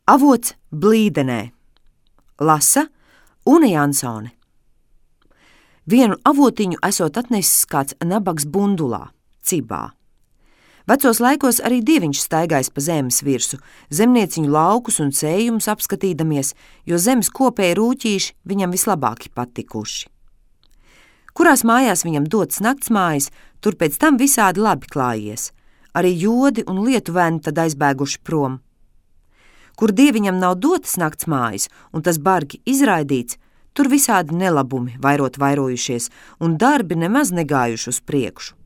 Avots blīdenē. Lasa Une Jansone. Vienu avotiņu esot atnesis kāds nabags Bundulā, Cibā. Vecos laikos arī dieviņš staigājis pa zemes virsu, zemnieciņu laukus un sējumus apskatīdamies, jo zemes kopēji rūķīši viņam vislabāki patikuši. Kurās mājās viņam dotas naktsmājas, tur pēc tam visādi labi klājies. Arī jodi un lietuvēni tad aizbēguši prom. Kur dieviņam nav dotas naktsmājas un tas bargi izraidīts, tur visādi nelabumi vairojušies un darbi nemaz negājuši uz priekšu.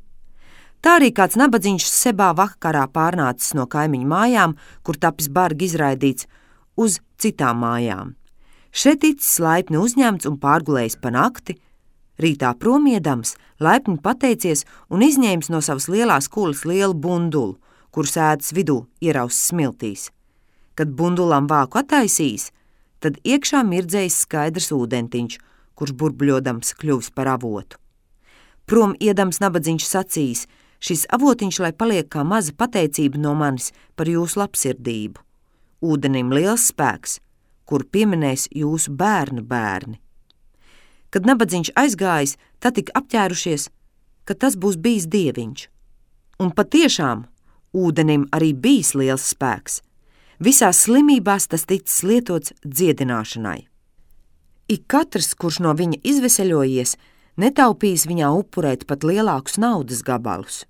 Tā arī kāds nabadzīņš sebā vakarā pārnācis no kaimiņu mājām, kur tapis bargi izraidīts, uz citām mājām. Šeit ticis laipni uzņemts un pārgulējis pa nakti, rītā promiedams, laipni pateicies un izņēmis no savas lielās kulas lielu bundulu, kur sēdas vidū ierausis smiltīs. Kad bundulam vāku attaisījis, tad iekšā mirdzējis skaidrs ūdentiņš, kurš burbļodams kļuvis par avotu. Prom iedams nabadzīņš sacījis: šis avotiņš lai paliek kā maza pateicība no manis par jūsu labsirdību. Ūdenim liels spēks, kur pieminēs jūsu bērnu bērni. Kad nabadzīņš aizgājis, tad tik apķērušies, ka tas būs bijis dieviņš. Un patiešām ūdenim arī bijis liels spēks. Visās slimībās tas ticis lietots dziedināšanai. Ik katrs, kurš no viņa izveseļojies, netaupījis viņā upurēt pat lielākus naudas gabalus.